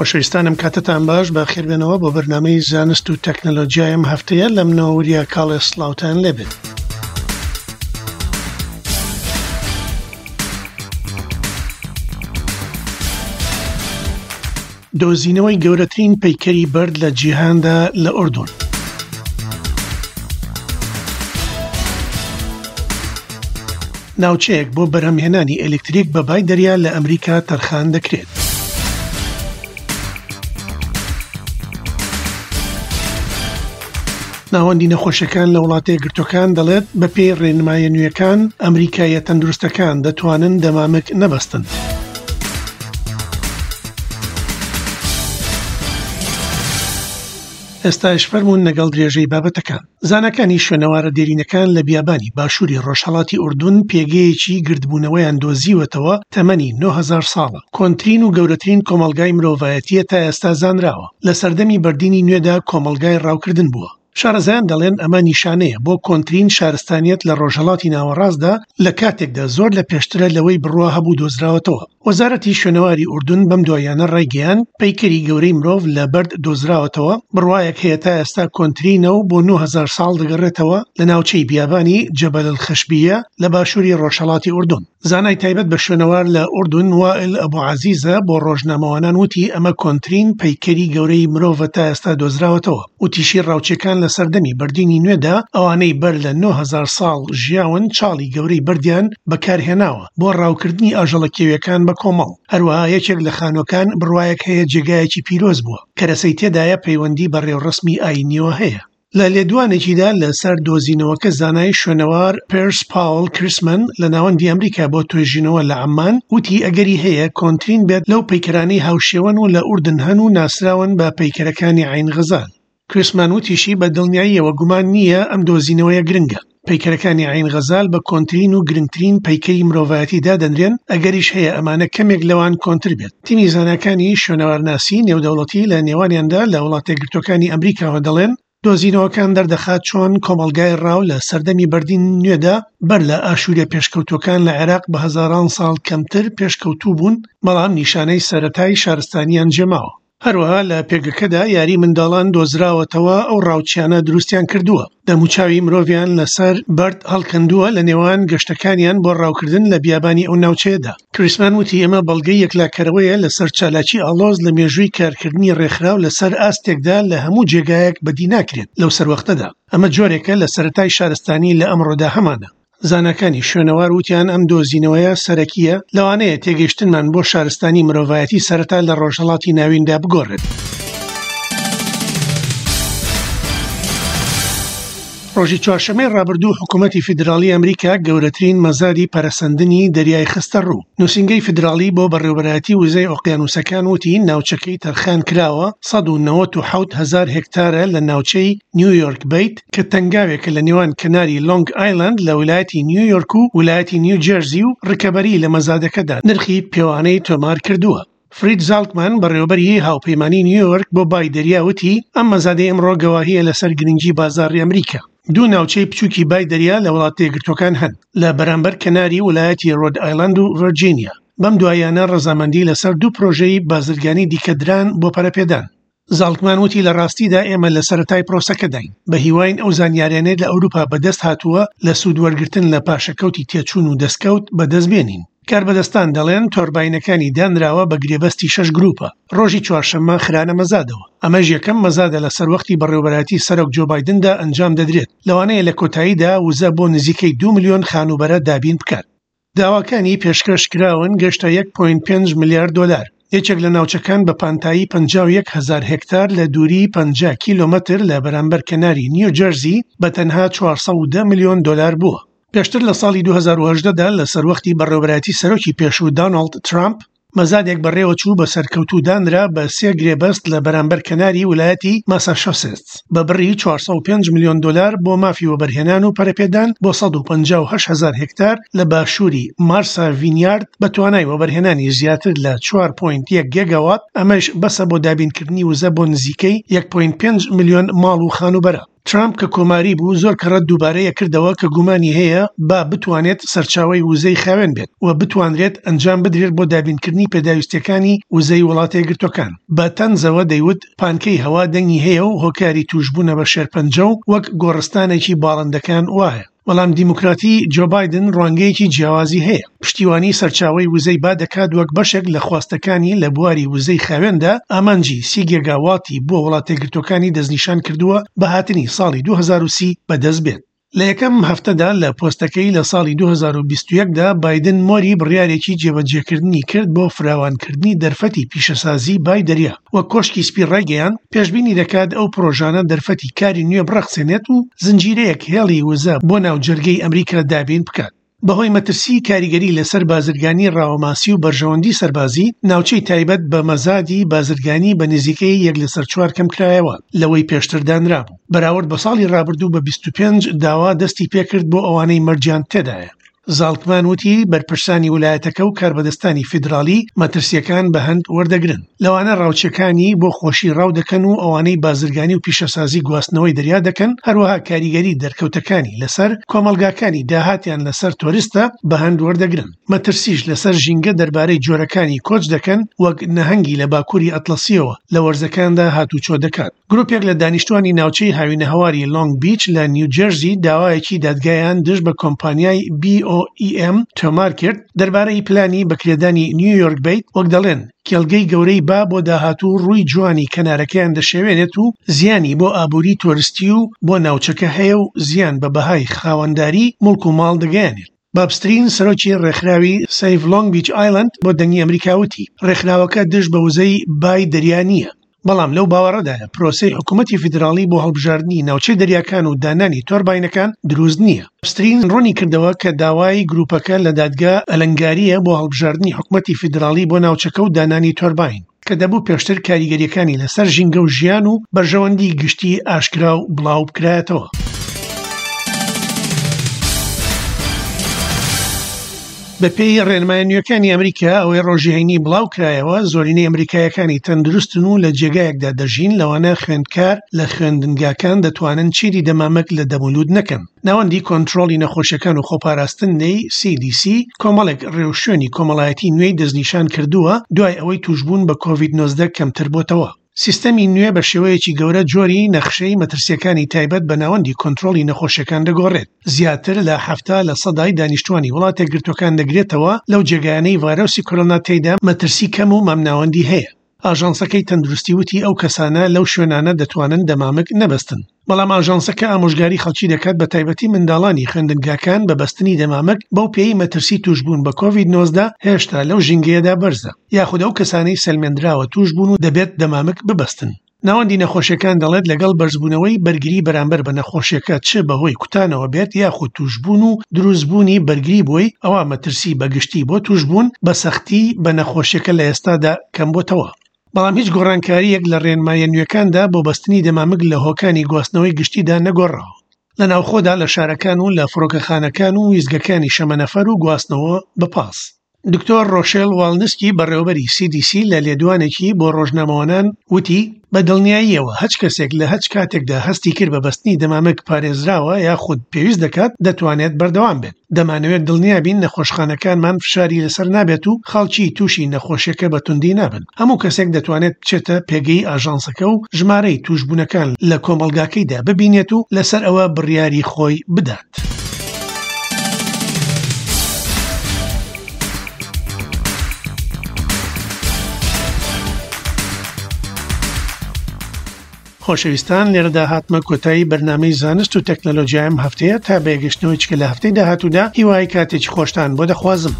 خۆشەویستانم کاتتان باش بە خێربێنەوە بۆ بەرنامەی زانست و تەکنەلۆجیای ئەم هەفتەیە لە منەوە وریا کاڵێ سڵاوتان لێبێت. دۆزینەوەی گەورەترین پەیکەری بەرد لە جیهاندا لە ئوردون. ناوچەیەک بۆ بەرهەمهێنانی ئەلکتریک بە بای دەریا لە ئەمریکا تەرخان دەکرێت. ناوەندی نەخۆشیەکان لە وڵاتە یەکگرتووەکان دەڵێت بەپێی ڕێنمایە نوێیەکان ئەمریکاییە تەندروستەکان دەتوانن دەمامک نەبەستن. ئێستاش فەرموون لەگەڵ درێژەی بابەتەکان. زاناکانی شوێنەوارە دێرینەکان لە بیابانی باشووری ڕۆژهەڵاتی ئوردون پێگەیەکی گردبوونەوەیان دۆزیوەتەوە تەمەنی 9000 ساڵە، کۆنترین و گەورەترین کۆمەڵگای مرۆڤایەتییە تا ئێستا زانراوە، لە سەردەمی بەردینی نوێدا کۆمەڵگای ڕاوکردن بووە. شارەزایان دەڵێن ئەمە نیشانەیە بۆ کۆنترین شارستانیەت لە ڕۆژهەڵاتی ناوەڕاستدا لە کاتێکدا زۆر لە پێشترە لەوەی بڕوا هەبوو دۆزراوەتەوە. وەزارەتی شوێنەواری ئوردون بەم دواییانە ڕایگەیاند، پەیکەری گەورەی مرۆڤ لە بەرد دۆزراوەتەوە، بڕوایەک هەیە تا ئێستا کۆنترینە و بۆ 9000 ساڵ دەگەڕێتەوە لە ناوچەی بیابانی جەبەل الخشبیە لە باشووری ڕۆژهەڵاتی ئوردون. زانای تایبەت بە شوێنەوار لە ئوردون وائل ئەبو عەزیزە بۆ ڕۆژنامەوانان وتی ئەمە کۆنترین پەیکەری گەورەی مرۆڤە تا ئێستا دۆزراوەتەوە. وتیشی ڕاوچیەکان لە سەردەمی بەردینی نوێدا ئەوانەی بەر لە 9000 ساڵ ژیاون چاڵی گەورەی بەردیان بەکارهێناوە. بۆ ڕاوکردنی ئاژەڵە کێویەکان بە کۆمەڵ، هەروەها یەکێک لە خانووەکان بڕوایەک هەیە جێگایەکی پیرۆز بووە، کەرەسەی تێدایە پەیوەندی بە ڕێوڕەسمی ئایینیەوە هەیە. لە لێدوانێکیدا لەسەر دۆزینەوەکە زانای شوێنەوار پێرس پاوڵ کریسمەن لە ناوەندی ئەمریکا بۆ توێژینەوە لە عەممان وتی ئەگەری هەیە کۆنترین بێت لەو پەیکەرانەی هاوشێوەن و لە ئوردن هەن و ناسراون بە پەیکەرەکانی عەین غەزال. کریسمان وتیشی، بە دڵنیاییەوە گومان نییە ئەم دۆزینەوەیە گرنگە. پەیکەرەکانی عەین غەزال بە کۆنترین و گرنگترین پەیکەری مرۆڤایەتی دادەنرێن، ئەگەریش هەیە ئەمانە کەمێک لەوان کۆنتر بێت. تیمی زاناکانی شوێنەوارناسی نێودەوڵەتی لە نێوانیاندا لە وڵاتەیەکگرتووەکانی ئەمریکاوە دەڵێن، دۆزینەوەکان دەردەخات چۆن کۆمەڵگای ڕاو لە سەردەمی بەردین نوێدا بەر لە ئاشووریە پێشکەوتووەکان لە عێراق بە هەزاران ساڵ کەمتر پێشکەوتوو بوون، بەڵام نیشانەی سەرەتای شارستانیان جێماوە. هەروەها لە پێگەکەدا یاری منداڵان دۆزراوەتەوە ئەو ڕاوچیانە دروستیان کردووە دەموچاوی مرۆڤیان لەسەر بەرد هەڵکەندووە لە نێوان گەشتەکانیان بۆ ڕاوکردن لە بیابانی ئەو ناوچەیەدا. کریسمان وتی ئەمە بەڵگەی یەکلاکەرەوەیە لەسەر چالاکی ئاڵۆز لە مێژووی کارکردنی ڕێکخراو لەسەر ئاستێکدا لە هەموو جێگایەک بەدی ناکرێت لەو سەروەختەدا ئەمە جۆرێکە لە سەرەتای شارستانی لە ئەمڕۆدا هەمانە. زاناکانی شوێنەوار وتیان ئەم دۆزینەوەیە سەرەکییە، لەوانەیە تێگەیشتنمان بۆ شارستانی مرۆڤایەتی سەرەتا لە ڕۆژهەڵاتی ناویندا بگۆڕێت. ڕۆژی چوارشەممەی ڕابردوو حکوومەتی فیدراڵی ئەمریکا گەورەترین مەزادی پەرەسەندنی دەریای خستە ڕوو. نووسینگەی فیدراڵی بۆ بەڕێوەبەرایەتی وزەی ئۆقیانووسەکان وتی ناوچەکەی تەرخان کراوە 197 هەزار هێکتارە لە ناوچەی نیویۆرک بەیت کە تەنگاوێکە لە نێوان کەناری لۆنگ ئایلەند لە ولایەتی نیویۆرک و ولایەتی نیوجێرزی و ڕکەبەری لە مەزادەکەدا نرخی پێوانەی تۆمار کردووە. فرید زالکمان، بەڕێوەبەری هاوپەیمانی نیویۆرک بۆ بای دەریا وتی، ئەم مەزادەی ئەمڕۆ گەواهییە لەسەر گرنگی بازاڕی ئەمریکا. دوو ناوچەی بچووکی بای دەریا لە وڵاتەیەکگرتووەکان هەن لە بەرامبەر کەناری ولایەتی ڕۆد ئایلەند و ڤێرجینیا. بەم دواییانە ڕەزامەندی لەسەر دوو پرۆژەی بازرگانی دیکە دران بۆ پەرەپێدان. زاڵکمان وتی لە ڕاستیدا ئێمە لە سەرەتای پرۆسەکەداین، بە هیواین ئەو زانیاریانەی لە ئەوروپا بەدەست هاتووە لە سوود وەرگرتن لە پاشەکەوتی تێچوون و دەستکەوت بەدەست بێنین. کاربەدەستان دەڵێن تۆرباینەکانی دانراوە بە گرێبەستی شەش گروپە ڕۆژی چوارشەممە خرانە مەزادەوە. ئەمەش یەکەم مەزادە لە سەروەختی بەڕێوەبەرایەتی سەرۆک جۆ بایدندا ئەنجام دەدرێت، لەوانەیە لە کۆتاییدا وزە بۆ نزیکەی دوو ملیۆن خانووبەرە دابین بکات. داواکانی پێشکەش کراون گەشتە یەک پۆینت پێنج ملیار دۆلار. یەکێک لە ناوچەکان بە پانتایی 51 هەزار هێکتار لە دووریی 50 کیلۆمەتر لە بەرامبەر کەناری نیوجێرزی بە تەنها 410 ملیۆن دۆلار بووە. پێشتر لە ساڵی 2018 دا لە سەروەختی بەڕێوەبەرایەتی سەرۆکی پێشوو دانۆڵد ترامپ، مەزادێک بەڕێوەچوو بە سەرکەوتوو دانرا بە سێ گرێبەست لە بەرامبەر کەناری ولایەتی ماساشۆسێتس بە بڕی 405 ملیۆن دۆلار بۆ مافی وەبەرهێنان و پەرەپێدان بۆ 158 هەزار هێکتار لە باشووری مارسا ڤینیارد بە توانای وەبەرهێنانی زیاتر لە 4.1 گێگاوات ئەمەش بەسە بۆ دابینکردنی وزە بۆ نزیکەی 1.5 ملیۆن ماڵ و خانووبەرە. ترامپ کە کۆماری بوو زۆر کەڕەت دووبارەی ئەکردەوە کە گومانی هەیە با بتوانێت سەرچاوەی وزەی خاوێن بێت و بتوانرێت ئەنجام بدرێت بۆ دابینکردنی پێداویستیەکانی وزەی وڵاتەیەکگرتوەکان. بە تەنزەوە دەیوت پانکەی هەوا دەنگی هەیە و هۆکاری توشبوونە بە شێرپەنجە و وەک گۆڕستانێکی باڵندەکان وایە. بەڵام دیموکراتی جۆ بایدن ڕوانگەیەکی جیاوازی هەیە، پشتیوانی سەرچاوەی وزەی با دەکات وەک بەشێک لە خواستەکانی لە بواری وزەی خاوێندا، ئامانجی سی گێگاواتی بۆ وڵاتەیەکگرتووەکانی دەستنیشان کردووە بە هاتنی ساڵی 2030 بەدەست بێت. لە یەکەم هەفتەدا لە پۆستەکەی لە ساڵی 2021 دا بایدن مۆری بڕیارێکی جێبەجێکردنی کرد بۆ فراوانکردنی دەرفەتی پیشەسازی بای دەریا. وەک کۆشکی سپی ڕایگەیاند، پێشبینی دەکات ئەو پڕۆژانە دەرفەتی کاری نوێ بڕەخسێنێت و زنجیرەیەک هێڵی وزە بۆ ناو جەرگەی ئەمریکا دابین بکات. بەهۆی مەترسیی کاریگەری لەسەر بازرگانی ڕاوەماسی و بەرژەوەندی سەربازی، ناوچەی تایبەت بە مەزادی بازرگانی بە نزیکەی یەک لەسەر چوار کەمکرایەوە لەوەی پێشتر دانرابوو، بەراورد بە ساڵی ڕابردوو بە 25 داوا دەستی پێکرد بۆ ئەوانەی مەرجیان تێدایە. زاڵکمان وتی بەرپرسانی ولایەتەکە و کاربەدەستانی فیدراڵی مەترسییەکان بە هەند وەردەگرن، لەوانە ڕاوچیەکانی بۆ خۆشی ڕاو دەکەن و ئەوانەی بازرگانی و پیشەسازی گواستنەوەی دەریا دەکەن، هەروەها کاریگەری دەرکەوتەکانی لەسەر کۆمەڵگاکانی داهاتیان لەسەر تۆریستە بە هەند وەردەگرن. مەترسیش لەسەر ژینگە دەربارەی جۆرەکانی کۆچ دەکەن وەک نەهەنگی لە باکوری ئەتڵەسیەوە لە وەرزەکاندا هاتوچۆ دەکات. گروپێک لە دانیشتوانی ناوچەی هاوینەهەواری لۆنگ بیچ لە نیوجێرزی داوایەکی دادگایان دژ بە کۆمپانیای BOEM تۆمار کرد دەربارەی پلانی بەکرێدانی نیویۆرک بیت، وەک دەڵێن کێڵگەی گەورەی با بۆ داهاتوو ڕووی جوانی کەنارەکەیان دەشێوێنێت و زیانی بۆ ئابووری تۆرستی و بۆ ناوچەکە هەیە و زیان بە بەهای خاوەنداری موڵک و ماڵ دەگەیەنێت. باب سترین سەرۆکی ڕێکخراوی Save Long Beach Island بۆ دەنگی ئەمریکا وتی، ڕێکخراوەکە دژ بە وزەی بای دەریا نییە، بەڵام لەو باوەڕەدایە پرۆسەی حکومەتی فیدراڵی بۆ هەڵبژاردنی ناوچەی دەریاکان و دانانی تۆرباینەکان دروست نییە. سترین ڕوونی کردەوە کە داوای گروپەکە لە دادگا ئەلەنگارییە بۆ هەڵبژاردنی حکومەتی فیدراڵی بۆ ناوچەکە و دانانی تۆرباین، کە دەبوو پێشتر کاریگەرییەکانی لەسەر ژینگە و ژیان و بەرژەوەندی گشتی ئاشکرا و بڵاو بکرایەتەوە. بەپێی ڕێنمایە نوێکانی ئەمریکا ئەوەی ڕۆژی هەینی بڵاو کرایەوە، زۆرینەی ئەمریکایەکانی تەندروستن و لە جێگایەکدا دەژین، لەوانە خوێندکار لە خوێندنگاکان دەتوانن چیدی دەمامک لە دەمولوت نەکەن. ناوەندی کۆنترۆڵی نەخۆشیەکان و خۆپاراستن نەی، CDC، کۆمەڵێک ڕێوشوێنی کۆمەڵایەتی نوێی دەستنیشان کردووە دوای ئەوەی تووشبوون بە کۆڤید 19 کەمتر بۆتەوە. سیستەمی نوێ بە شێوەیەکی گەورە جۆری نەخشەی مەترسیەکانی تایبەت بە ناوەندی کۆنترۆڵی نەخۆشیەکان دەگۆڕێت، زیاتر لە 70 لە سەدای دانیشتوانی وڵاتەیەکگرتووەکان دەگرێتەوە لەو جێگایانەی ڤایرۆسی کۆرۆنا تێیدا مەترسی کەم و مامناوەندی هەیە. ئاژانسەکەی تەندروستی وتی ئەو کەسانە لەو شوێنانە دەتوانن دەمامک نەبەستن، بەڵام ئاژانسەکە ئامۆژگاری خەڵکی دەکات بە تایبەتی منداڵانی خوێندنگاکان بە بەستنی دەمامک بەو پێیەی مەترسی توشبوون بە کۆڤید 19 هێشتا لەو ژینگەیەدا بەرزە یاخود ئەو کەسانەی سەلمێندراوە توشبوون و دەبێت دەمامک ببەستن. ناوەندی نەخۆشیەکان دەڵێت لەگەڵ بەرزبوونەوەی بەرگری بەرامبەر بە نەخۆشیەکە چ بەهۆی کوتانەوە بێت یاخود توشبوون و دروستبوونی بەرگری بۆی ئەوا مەترسی بەگشتی بۆ توشبوون بە سەختی بە نەخۆشیەکە لە ئێستادا کەمبۆتەوە. بەڵام هیچ گۆڕانکارییەک لە ڕێنماییە نوێکاندا بۆ بەستنی دەمامک لە هۆکانی گواستنەوەی گشتیدا نەگۆڕاوە لە ناوخۆدا لە شارەکان و لە فڕۆکەخانەکان و ویستگەکانی شەمەنەفەر و گواستنەوە بە پاس. دکتۆر ڕۆشێل واڵنسکی بەڕێوەبەری CDC لە لێدوانێکی بۆ ڕۆژنامەوانان وتی، بە دڵنیاییەوە هەچ کەسێک لە هەچ کاتێکدا هەستی کرد بە بەستنی دەمامک پارێزراوە یاخود پێویست دەکات دەتوانێت بەردەوام بێت. دەمانەوێت دڵنیا بین نەخۆشخانەکانمان فشاری لەسەر نابێت و خەڵکی تووشی نەخۆشیەکە بە توندی نابن. هەموو کەسێک دەتوانێت بچێتە پێگەی ئاژانسەکە و ژمارەی تووشبوونەکان لە کۆمەڵگاکەیدا ببینێت و لەسەر ئەوە بڕیاری خۆی بدات. خۆشەویستان لێرەدا هاتمە کۆتایی بەرنامەی زانست و تەکنەلۆجیای ئەم هەفتەیە تا بەیەگەشتنەوەی چکە لە هەفتەی داهاتوودا هیوای کاتێکی خۆشتان بۆ دەخوازم.